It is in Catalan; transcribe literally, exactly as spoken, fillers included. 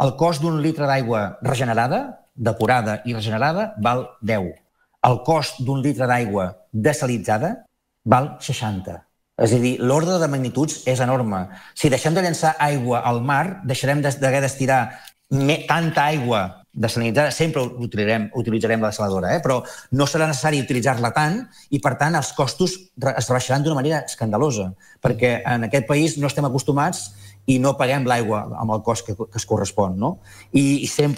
El cost d'un litre d'aigua regenerada, depurada i regenerada, val deu. El cost d'un litre d'aigua desalitzada val seixanta. És a dir, l'ordre de magnituds és enorme. Si deixem de llançar aigua al mar, deixarem d'haver d'estirar tanta aigua dessalinitzada, sempre utilitzarem, utilitzarem la desaladora, eh? Però no serà necessari utilitzar-la tant i, per tant, els costos es rebaixaran d'una manera escandalosa, perquè en aquest país no estem acostumats i no paguem l'aigua amb el cost que, que es correspon, no? I, i sempre